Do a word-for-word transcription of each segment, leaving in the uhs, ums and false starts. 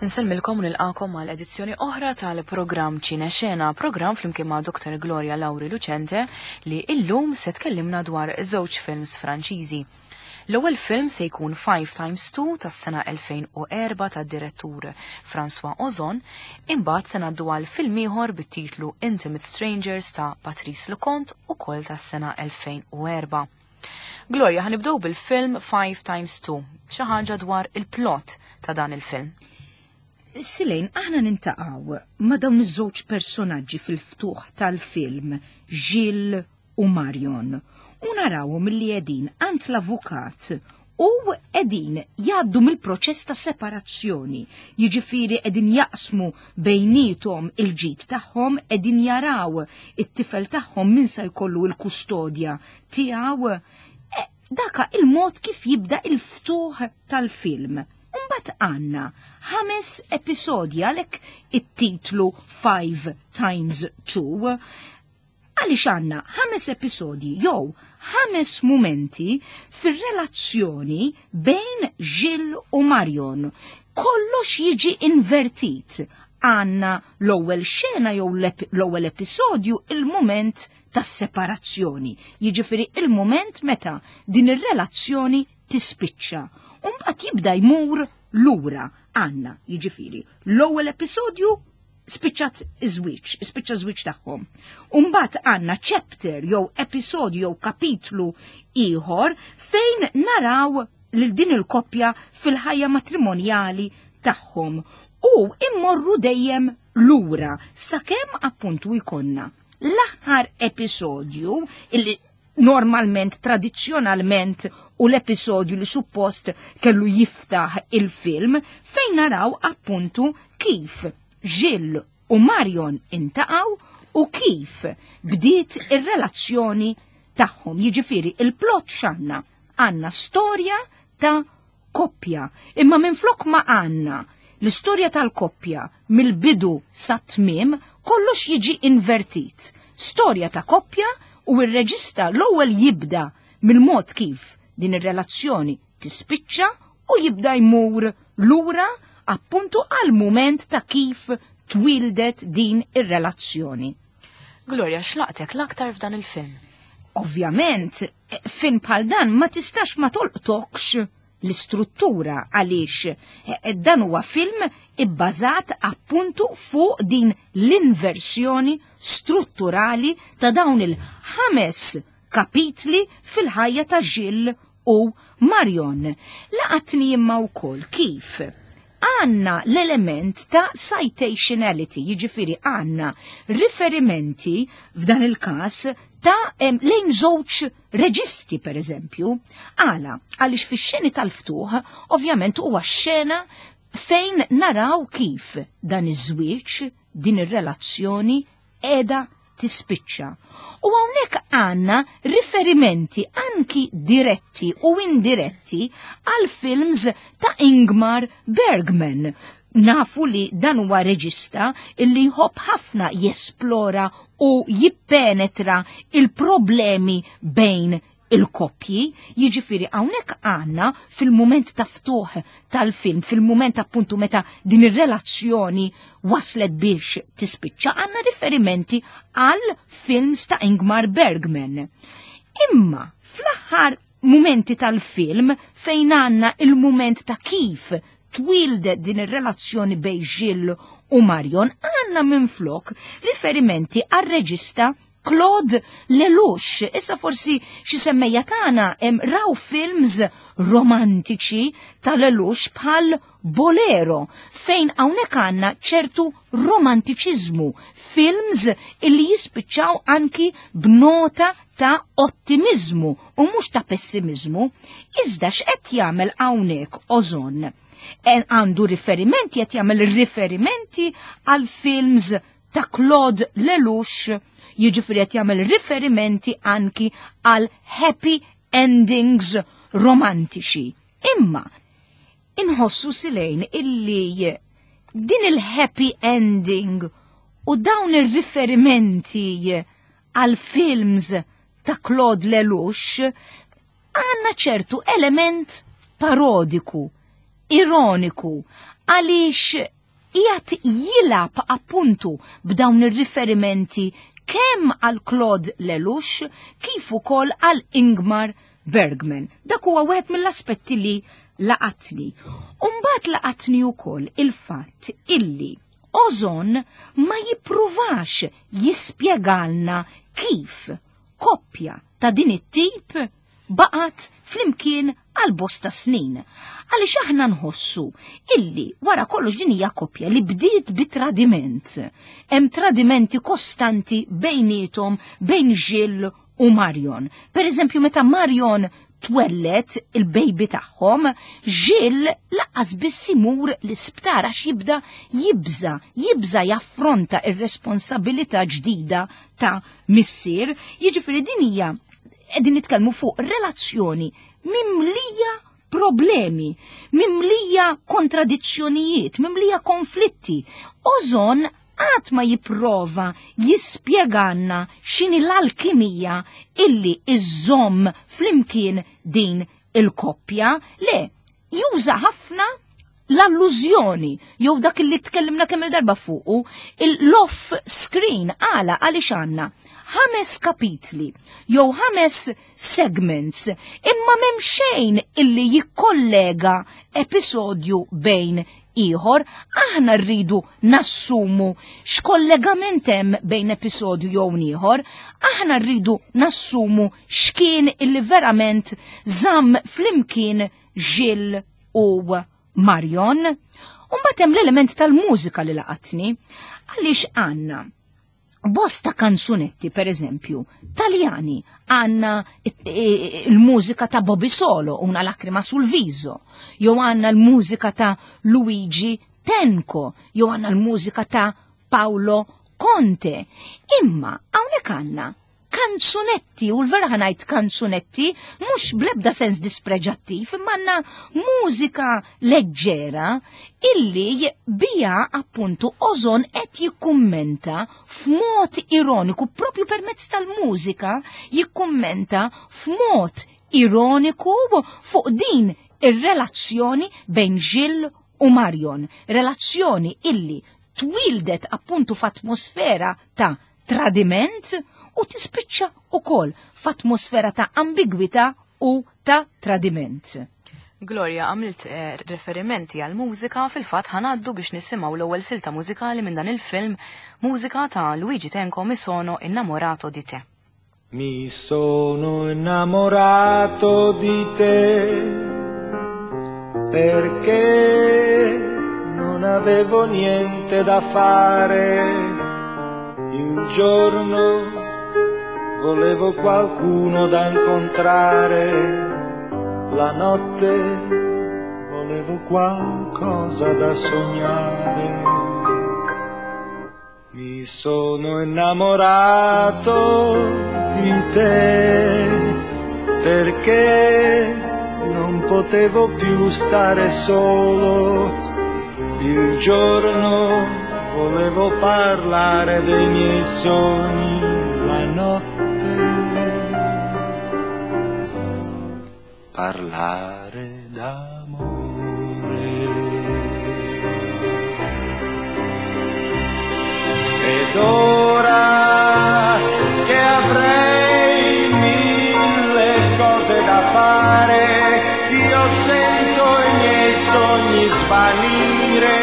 Insellmilkom u nilqakom għal edizzjoni oħra tal-programm Ċine Xena, programm flimkien ma' Doktor Gloria Lauri Lucente li illum se tkellimna dwar żewġ films Franċiżi. L-ewwel film se jkun five times two tas-sena elfejn u erba' tad-direttur François Ozon, imbagħad se ngħaddu għal film ieħor bit-titlu Intimate Strangers ta' Patrice Leconte ukoll tas-sena elfejn u erba'. Gloria, ħanibdew bil-film five times two, xi ħaġa dwar il-plot ta' dan il-film. Silejn, aħna nintaqgħu ma' dawn iż-żewġ personaġġi fil-ftuħ tal-film, Gilles u Marion, u narawhom li qegħdin għand l-avukat u qegħdin jgħaddu mill-proċess ta' separazzjoni, jiġifieri qegħdin jaqsmu bejniethom il-ġid tagħhom, qegħdin jaraw it-tifel tagħhom min se jkollu l-kustodja tiegħu. E, daka il-mod kif jibda il-ftuħ tal-film. Mbagħad għandna ħames episodji, għalhekk it-titlu five times two, għaliex għandna ħames episodji jew ħames mumenti fir-relazzjoni bejn Gilles u Marion. Kollox jiġi invertit. Għandna l-ewwel xena jew l-ep-, l-ewwel episodju, il-mument tas-separazzjoni. Jiġifieri il-mument meta din ir-relazzjoni tispiċċa. U mbagħad jibda jmur lura. Għandna, jiġifieri, l-ewwel episodju spiċċat iż-żwieġ, spiċċa żwieġ tagħhom. U mbagħad għandna chapter jew episodju jew kapitlu ieħor fejn naraw lil din il-koppja fil-ħajja matrimonjali tagħhom u immorru dejjem lura sakemm appuntu jkollna l-aħħar episodju illi normalment, tradizzjonalment, u l-episodju li suppost kellu jiftaħ il-film fejn naraw appuntu kif Gilles u Marion intaqgħu u kif bdiet ir-relazzjoni tagħhom. Jiġifieri il-plot x'għandna? Għandna storja ta' koppja, imma minflok ma għandna l-istorja tal-koppja mill-bidu sa tmiem, kollox jiġi invertit. Storja ta' koppja u r-reġista l-ewwel jibda mill-mod kif din ir-relazzjoni tispiċċa u jibda jmur lura appuntu għal mument ta' kif twildet din ir-relazzjoni. Gloria, x'laqtek l-aktar f'dan il-film? Ovvjament, film bħal dan ma tistax ma tolqtokx l-istruttura għaliex, eh, dan huwa film ibbażat appuntu fuq din l-inversjoni strutturali ta' dawn il-ħames kapitli fil-ħajja ta' Gilles u Marion. Laqatni imma wkoll kif għanna l-element ta' citationality, jiġifieri għanna riferimenti f'dan il-każ ta' em, lejn żewġ reġisti, per eżempju. Għala, għaliex fix-xeni tal-ftuħ, ovvjament huwa xena fejn naraw kif dan iż-żwieġ, din ir-relazzjoni qiegħda tispiċċa. U hawnhekk għandna riferimenti anki diretti u indiretti għal films ta' Ingmar Bergman. Nafu li dan huwa reġista illi jħobb ħafna jesplora u jippenetra il-problemi bejn il-koppji, jiġifieri hawnhekk għandna fil-mument ta' ftuħ tal-film, fil-mument appuntu meta din ir-relazzjoni waslet biex tispiċċa, għandna riferimenti għal films ta' Ingmar Bergman. Imma fl-aħħar mumenti tal-film fejn għandna il-mument ta' kif twildet din ir-relazzjoni bejn Gilles u Marion, għandna minflok riferimenti għal reġista Claude Lelouch. Issa forsi xi semmejja tagħna hemm raw films romantiċi ta' Lelouch bħal Bolero, fejn hawnhekk għandna ċertu romantiċiżmu, films illi jispiċċaw anki b'nota ta' ottimizmu u mhux ta' pessimizmu. Iżda x'qed jagħmel hawnhekk Ozon? En għandu riferimenti, qed jagħmel riferimenti għal films ta' Claude Lelouch, jiġifieri qed jagħmel riferimenti anki għal happy endings romantiċi. Imma inħossu silejn illi din il-happy ending u dawn ir-riferimenti għal films ta' Claude Lelouch għandna ċertu element parodiku, ironiku, għaliex Qiegħed jilgħab appuntu b'dawn ir-riferimenti kemm għal Claude Lelouch kif ukoll għal Ingmar Bergman. Dak huwa wieħed mill-aspetti li laqatni. Umbagħad laqatni wkoll il-fatt illi Ozon ma jippruvax jispjegalna kif koppja ta' din it-tip baqgħet flimkien għal bosta snin. Għaliex aħna nħossu illi wara kollox din hija koppja li bdiet bi tradiment. Hemm tradimenti kostanti bejniethom bejn Gilles u Marion. Per eżempju, meta Marion twellet il-baby tagħhom, Gilles lanqas biss imur l-isptar għax jibda jibża, jibża jaffronta ir-responsabilità ġdida ta' missier. Jiġifieri din hija qegħdin nitkellmu fuq relazzjoni mimlija problemi, mimlija kontradizzjonijiet, mimlija konflitti. Ozon qatt ma jipprova jispjeganna x'inhi l-alkimija illi iżomm flimkien din il-koppja. Le, juża ħafna l-allużjoni jew dak illi tkellimna kemm il-darba fuqu, il-off screen. Għala għaliex għandna ħames kapitli jew ħames segments imma m'hemm xejn illi jikkollega episodju bejn ieħor, aħna rridu nassumu x'kollegament hemm bejn episodju jew ieħor, aħna rridu nassumu x'kien illi verament żamm flimkien Gilles u Marion. U mbagħad hemm l-element tal-mużika li laqatni, għaliex għandna bosta kanzunetti, per eżempju, taljani, għandna il-mużika ta' Bobby Solo, Una lacrima sul viso, jew għandna l-mużika ta' Luigi Tenco, jew għandna l-mużika ta' Paolo Conte. Imma hawnhekk għandna kanzunetti, u l-vera ħa ngħid kanzunetti, mhux blebda sens dispreġattiv, imma għandna mużika leġġera illi bija appuntu Ozon qed jikkummenta f'mod ironiku, propju permezz tal-mużika jikkummenta f'mod ironiku fuq din ir-relazzjoni bejn Gilles u Marion, relazzjoni illi twildet appuntu f'atmosfera ta' tradiment u tispiċċa ukoll f'atmosfera ta' ambigwità u ta' tradiment. Gloria, għamilt eh, referimenti għal mużika, fil-fatt ħa ngħaddu biex nisimgħu l-ewwel silta mużikali minn dan il-film, mużika ta' Luigi Tenco, Mi sono innamorato di te. Mi sono innamorato di te perché non avevo niente da fare. Il giorno volevo qualcuno da incontrare, la notte volevo qualcosa da sognare. Mi sono innamorato di te perché non potevo più stare solo. Il giorno volevo parlare dei miei sogni, la notte parlare d'amore. Ed ora che avrei mille cose da fare, io sento i miei sogni svanire,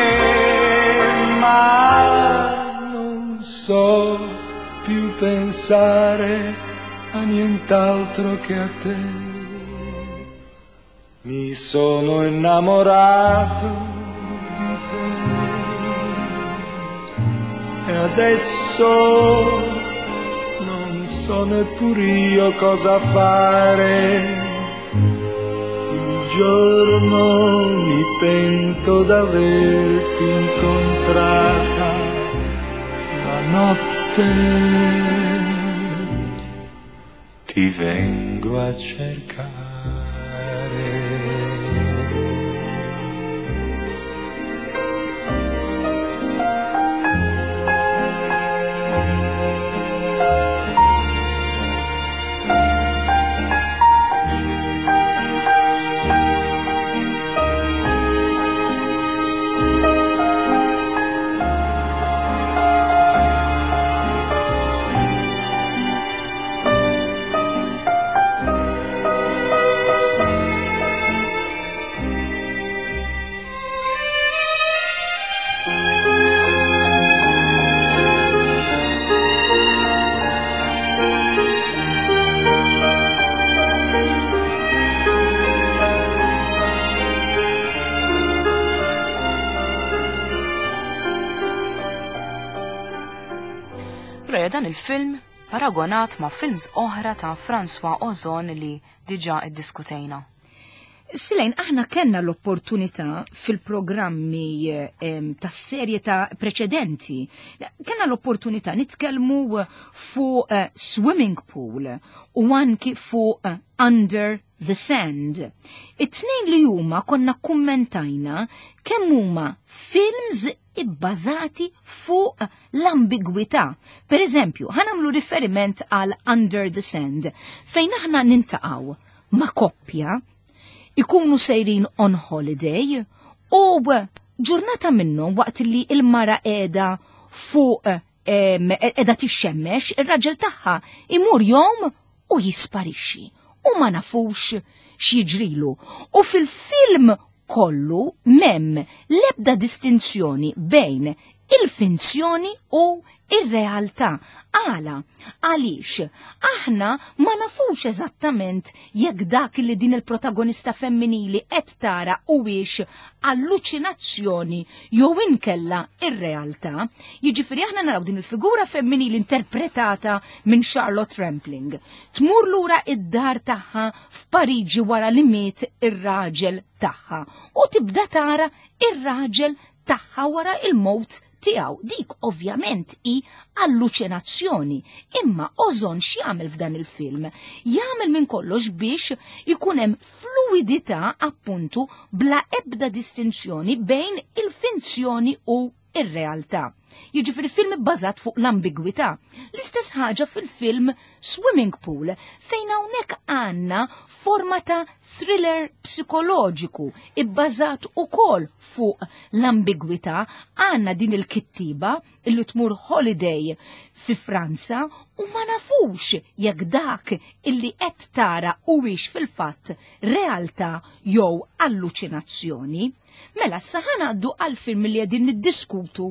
ma non so più pensare a nient'altro che a te. Mi sono innamorato di te e adesso non so neppur io cosa fare. Il giorno mi pento d'averti incontrata, la notte ti vengo a cercare. Gloria, dan il-film paragonat ma' films oħra ta' François Ozon li diġà iddiskutejna. Silejn, aħna kellna l-opportunità fil-programmi eh, tas-serje ta' preċedenti, kellna l-opportunità nitkellmu fuq eh, Swimming Pool u anki fuq eh, Under the Sand. It-tnejn li huma konna kummentajna kemm huma films ibbażati fuq l-ambigwità. Per eżempju, ħa nagħmlu riferiment għal Under the Sand, fejn aħna niltaqgħu ma' koppja ikunu sejrin on holiday u ġurnata minnhom waqt li il-mara qiegħda fuq qiegħda tixxemmex, ir-raġel tagħha imur jom u jisparixxi u ma nafux x'jiġrilu. U fil-film kollu m'hemm lebda distinzjoni bejn il-finzjoni u ir-realtà. Għala, għaliex, aħna ma nafux eżattament jekk dak li din il-protagonista femminili qed tara huwiex alluċinazzjoni jew inkella ir-realtà. Jiġifieri aħna naraw din il-figura femminili interpretata minn Charlotte Rampling. Tmur lura id-dar tagħha f'Pariġi wara li miet ir-raġel tagħha u tibda tara ir-raġel tagħha wara il-mowt tiegħu. Dik ovvjament hi alluċinazzjoni. Imma Ozon x'jagħmel f'dan il-film? Jagħmel minn kollox biex ikun hemm fluidità appuntu bla ebda distinzjoni bejn il-finzjoni u ir-realtà. Jiġifieri film bbażat fuq l-ambigwità. L-istess ħaġa fil-film Swimming Pool, fejn hawnhekk għandna forma ta' thriller psikoloġiku ibbażat ukoll fuq l-ambigwità. Għandna din il-kittiba illi tmur holiday fi Franza u ma nafux jekk dak illi qed tara huwiex fil-fatt realtà jew alluċinazzjoni. Mela, sa ħa ngħaddu għal film li qegħdin niddiskutu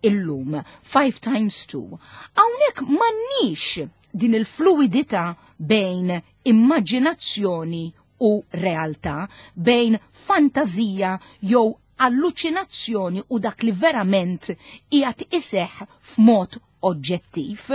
illum, Five Times Two. Hawnhekk m'għandniex din il-fluidità bejn immaġinazzjoni u realtà, bejn fantazija jew alluċinazzjoni u dak li verament qiegħed iseħħ f'mod oġġettiv.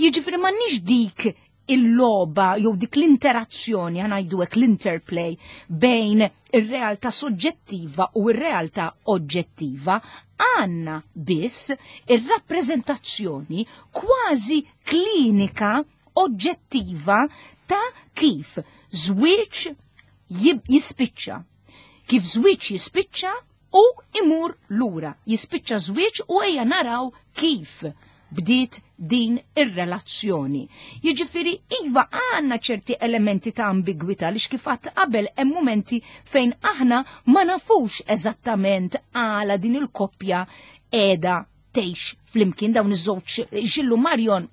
Jiġifieri m'għandniex dik il-logħba jew dik l-interazzjoni, ħa ngħidu hekk l-interplay bejn ir-realtà soġġettiva u r-realtà oġġettiva. Għandna biss ir-rappreżentazzjoni kważi klinika oġġettiva ta' kif żwieġ jispiċċa. Kif żwieġ jispiċċa u imur lura. Jispiċċa żwieġ u ejja naraw kif bdiet din ir-relazzjoni. Jiġifieri iva għandna ċerti elementi ta' ambigwità li kif għedt qabel hemm momenti fejn aħna ma nafux eżattament għala din il-koppja qiegħda tgħix flimkien dawn iż-żewġ Gilles u Marion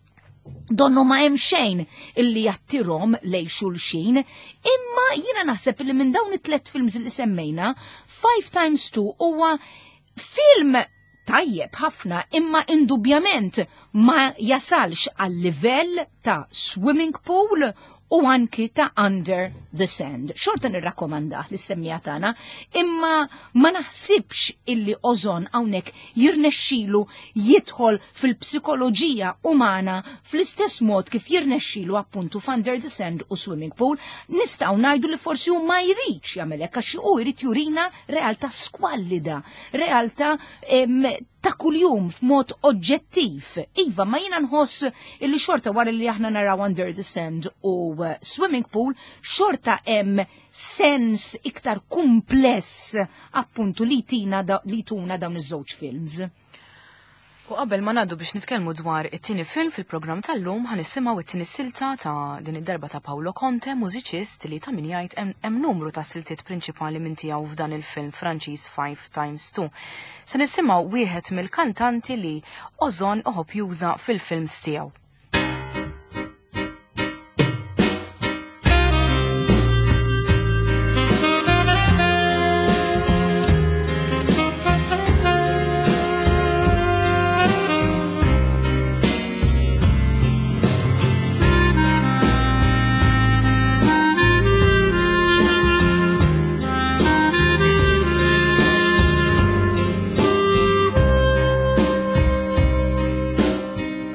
donnu ma hemm xejn illi jattirhom lej xulxin, imma jiena naħseb li minn dawn it-tlet films li semmejna, Five Times Two huwa film tajjeb ħafna imma indubjament ma jasalx għal livell ta' Swimming Pool u anki ta' Under the Sand. Xorta nirrakkomandah lis-semmiegħa tagħna, imma ma naħsibx illi Ozon hawnhekk jirnexxilu jidħol fil-psikoloġija umana fl-istess mod kif jirnexxilu appuntu f'Under the Sand u Swimming Pool. Nistgħu ngħidu li forsi hu ma jridx jagħmel hekk għax hu jrid jurina realtà skwallida, realtà ta' kuljum f'mod oġġettiv. Iva, ma jiena nħoss illi xorta wara li aħna naraw Under the Sand u uh, Swimming Pool, xorta hemm sens iktar kumpless appuntu li tina da, li tuna dawn iż-żewġ films. U qabel ma ngħaddu biex nitkellmu dwar it-tieni film fil-programm tal-lum, ħa nisimgħu it-tieni silta ta' din id-darba ta' Paolo Conte, mużiċist li ta' min jgħid hemm numru ta' siltiet prinċipali minn tiegħu f'dan il-film Franċiż Five Times Two. Se nisimgħu wieħed mill-kantanti li Ozon iħobb juża fil-films tiegħu.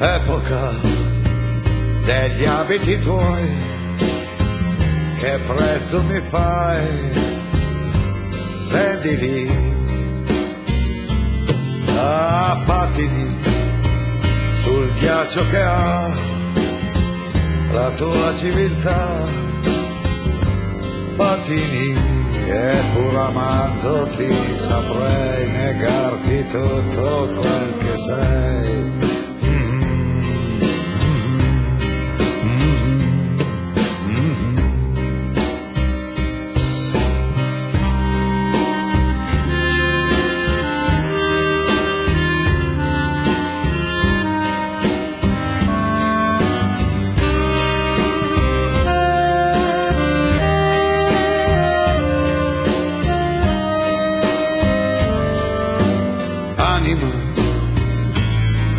Epoca degli abiti tuoi, che prezzo mi fai? Prendili a patini sul ghiaccio che ha la tua civiltà. Patini, e pur amandoti saprei negarti tutto quel che sei.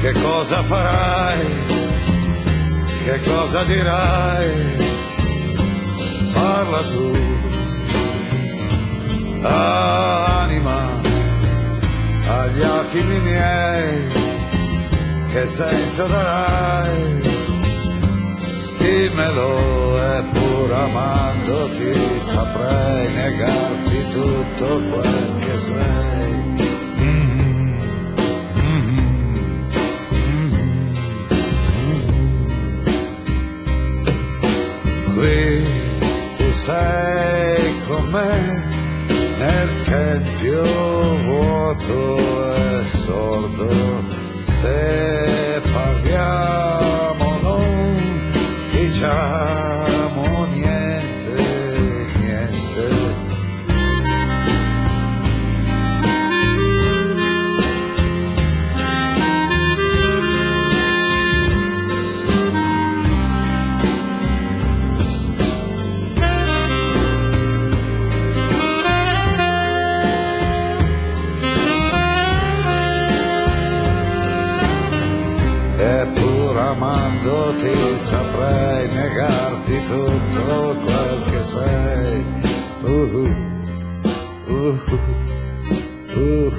Che cosa farai? Che cosa dirai? Parla tu, anima, agli attimi miei, che senso darai? Dimmelo, e pur amandoti saprei negarti tutto quel che sei. Qui tu sei con me nel tempio vuoto e sordo, se parliamo non diciamo niente, niente. Amandoti saprei negarti tutto quel che sei. Uh, uh, uh, uh,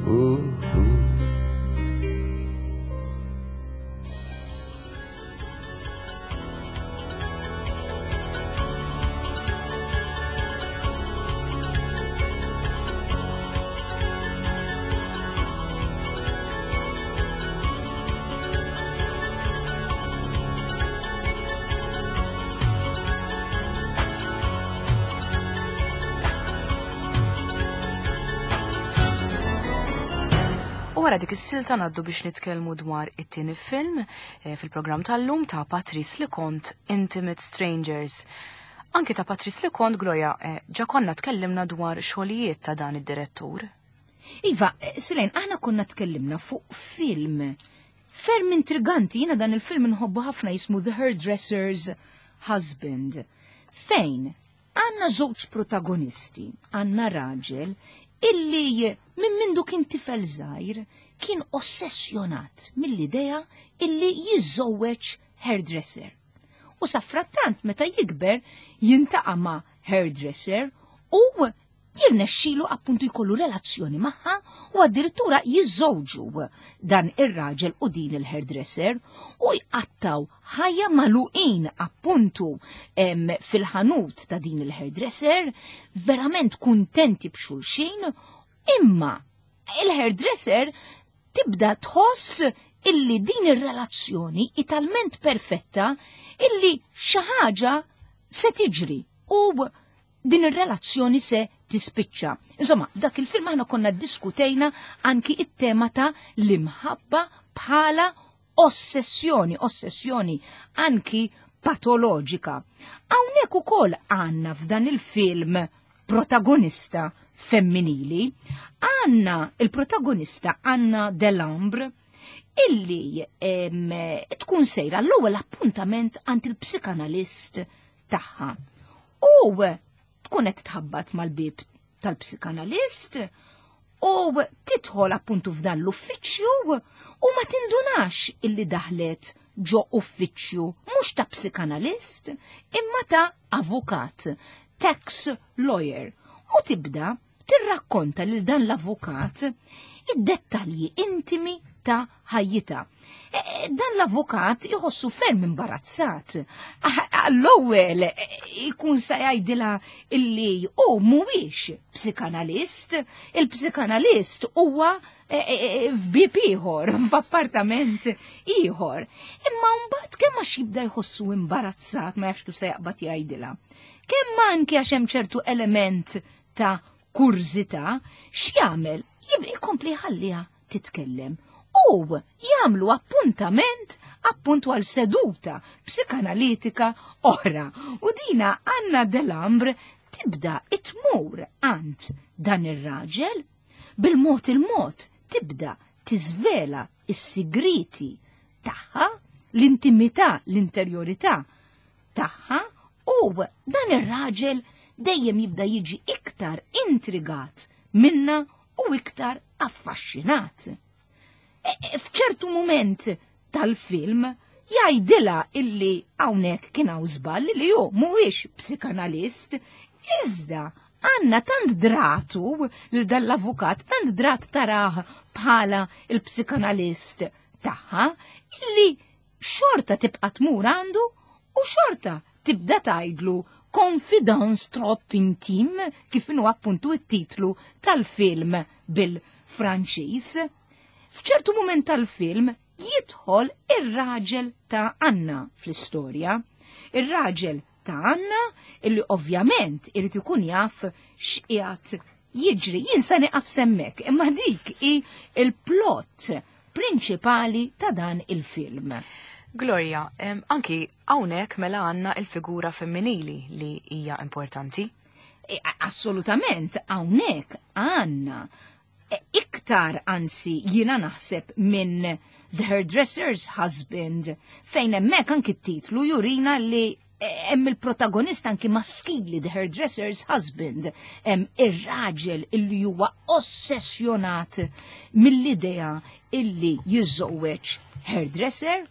uh, uh. Wara dik is-silta ngħaddu biex nitkellmu dwar it-tieni film fil-programm tal-lum ta' Patrice Leconte, Intimate Strangers. Anki ta' Patrice Leconte, Gloria, ġa konna tkellimna dwar xogħlijiet ta' dan id-direttur. Iva, Silen, aħna konna tkellimna fuq film ferm intriganti, jiena dan il-film nħobbu ħafna, jismu The Hairdresser's Husband, fejn għandna żewġ protagonisti, għandna raġel illi minn mindu kien tifel żgħir kien ossessjonat mill-idea illi jiżżewweġ hairdresser. U safrattant meta jikber jintaqa' ma' hairdresser u jirnexxilu appuntu jkollu relazzjoni magħha u addirittura jiżżewġu dan ir-raġel u din il-hairdresser u jqattaw ħajja magħluqin appuntu fil-ħanut ta' din il-hairdresser, verament kuntenti b'xulxin, imma il-hairdresser tibda tħoss illi din ir-relazzjoni hi talment perfetta illi xi ħaġa se tiġri u din ir-relazzjoni se tispiċċa. Insomma, dak il-film aħna konna ddiskutejna anki it-tema ta' l-imħabba bħala ossessjoni, ossessjoni anki patoloġika. Hawnhekk ukoll għandna f'dan il-film protagonista femminili, għandna il-protagonista Anna Delambre illi em, tkun sejra l-ewwel appuntament għand il-psikanalist tagħha. U tkun qed tħabbat mal-bib tal-psikanalist u tidħol appuntu f'dan l-uffiċċju u ma tindunax illi daħlet ġo uffiċċju mhux ta' psikanalist imma ta' avukat, tax lawyer, u tibda tirrakkonta lil dan l-avukat id-dettalji intimi ta' ħajjitha. E, e, dan l-avukat iħossu ferm imbarazzat. Għall-ewwel e, ikun sa jgħidilha illi hu mhuwiex psikanalist, il-psikanalist huwa f'bib ieħor, f'appartament ieħor. Imma mbagħad kemm għax jibda jħossu imbarazzat, ma jafx kif se jaqbad jgħidilha. Kemm anke għax hemm ċertu element ta' kurżità, x'jagħmel? Jkompli jħalliha titkellem u jagħmlu appuntament appuntu għal seduta psikanalitika oħra. U dina Anna Delambre tibda tmur għand dan ir-raġel, bil-mod il-mod tibda tiżvela is-sigriti tagħha, l-intimità, l-interjorità tagħha, u dan ir-raġel dejjem jibda jiġi iktar intrigat minna u iktar affaxxinat. F'ċertu moment tal-film jgħidilha illi hawnhekk kien hawn żball, li hu mhuwiex psikanalist, iżda Anna tant dratu lil dal-avukat, tant drat tarah bħala il-psikanalist tagħha, illi xorta tibqa' tmur għandu u xorta tibda tgħidlu Confidence trop intime, kif inhu appuntu it-titlu tal-film bil-Franċiż. F'ċertu moment tal-film jidħol ir-raġel ta' Anna fl-istorja. Ir-raġel ta' Anna illi ovvjament irid ikun jaf x'qiegħed jiġri. Jien sa nieqaf s'hemmhekk, imma dik hi il-plot prinċipali ta' dan il-film. Gloria, em, anki hawnhekk mela għandna il-figura femminili li hija importanti. E, assolutament, hawnhekk għandna iktar, anzi jiena naħseb, minn The Hairdresser's Husband, fejn hemmhekk anki t-titlu jurina li hemm il-protagonista anki maskili, The Hairdresser's Husband, hemm ir-raġel illi huwa ossessjonat mill-idea illi jiżżewweġ hairdresser,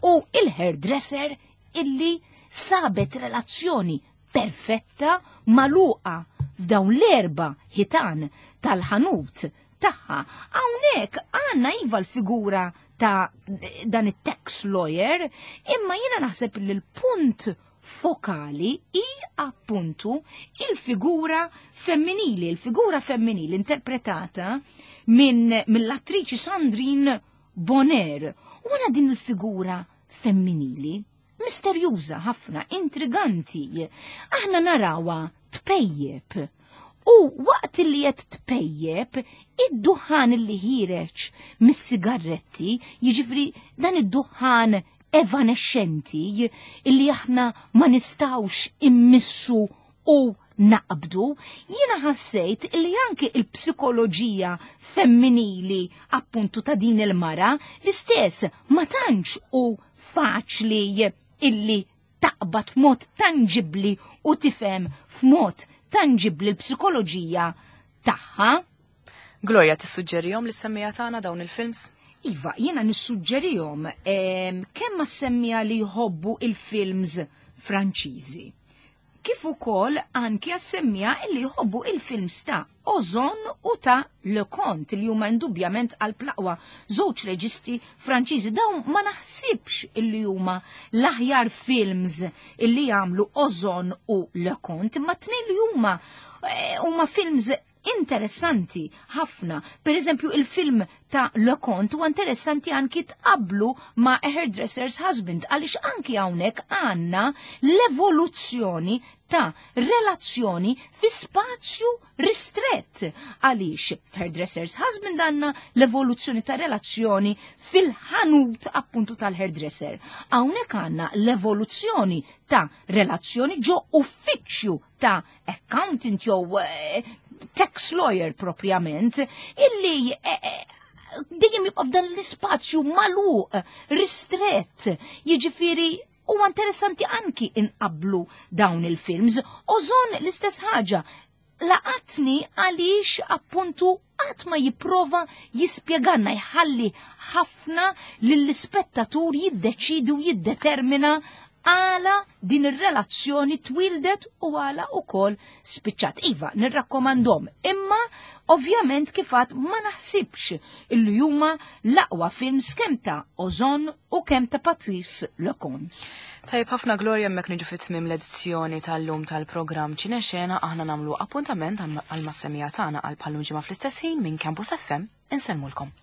u il-hairdresser illi sabet relazzjoni perfetta magħluqa f'dawn l-erba' ħitan tal-ħanut tagħha. Hawnhekk għandna iva l-figura ta' dan it-tax lawyer, imma jiena naħseb li l-punt fokali hi appuntu il-figura femminili, il-figura femminili interpretata minn mill-attriċi Sandrine Bonnaire. U għana din il-figura femminili misterjuża ħafna, intriganti. Aħna narawha tpejjeb. U waqt li qed tpejjeb, id-duħan li ħiereġ mis-sigarretti, jiġifieri dan id-duħan evanescenti illi aħna ma nistawx immissu u naqbdu, jiena ħassejt illi anke il-psikoloġija femminili appuntu ta' din il-mara l-istess ma tantx u faċli illi taqbad f'mod tangibli u tifhem f'mod tangibli l-psikoloġija tagħha. Gloria, tissuġġerihom lis-semmiegħa tagħna dawn il-films? Iva, jiena nissuġġerihom kemm għas-semmiegħa li jħobbu il-films Franċiżi, kif ukoll anki għas-semmiegħa li jħobbu il-films ta' Ozon u ta' Leconte, li huma indubjament għal plaqwa żewġ reġisti Franċiżi. Dawn ma naħsibx illi huma l-aħjar films illi jagħmlu Ozon u Leconte, imma tnejn li huma eh, huma films interessanti ħafna. Per eżempju, il-film ta' Leconte huwa interessanti anki tqablu ma' A Hairdresser's Husband, għaliex anki hawnhekk għandna l-evoluzzjoni ta' relazzjoni fi spazju ristrett. Għaliex f'Hairdresser's Husband għandna l-evoluzzjoni ta' relazzjoni fil-ħanut appuntu tal-hairdresser. Hawnhekk għandna l-evoluzzjoni ta' relazzjoni ġo uffiċċju ta' accountant jew eh, tax lawyer propjament, illi eh, eh, dejjem jibqa' f'dan l-ispazju magħluq, ristrett, jiġifieri huwa interessanti anki inqablu dawn il-films. Ozon l-istess ħaġa, laqatni għaliex appuntu qatt ma jipprova jispjeganna, jħalli ħafna lill-ispettatur jiddeċidi u jiddetermina għala din ir-relazzjoni twildet u għala ukoll spiċċat. Iva, nirrakkomandhom, imma Ovvjament, kif għedt, ma naħsibx illi huma l-aqwa films kemm ta' Ozon u kemm ta' Patrice Leconte. Tajb ħafna, Gloria, hemmhekk niġu fit-tmiem l-edizzjoni tal-lum tal-programm Ċinexena. Aħna nagħmlu appuntament għal mas-semmiegħa tagħna għal bħal-lum ġimgħa fl-istess ħin. Minn Campus F M insellmulkom.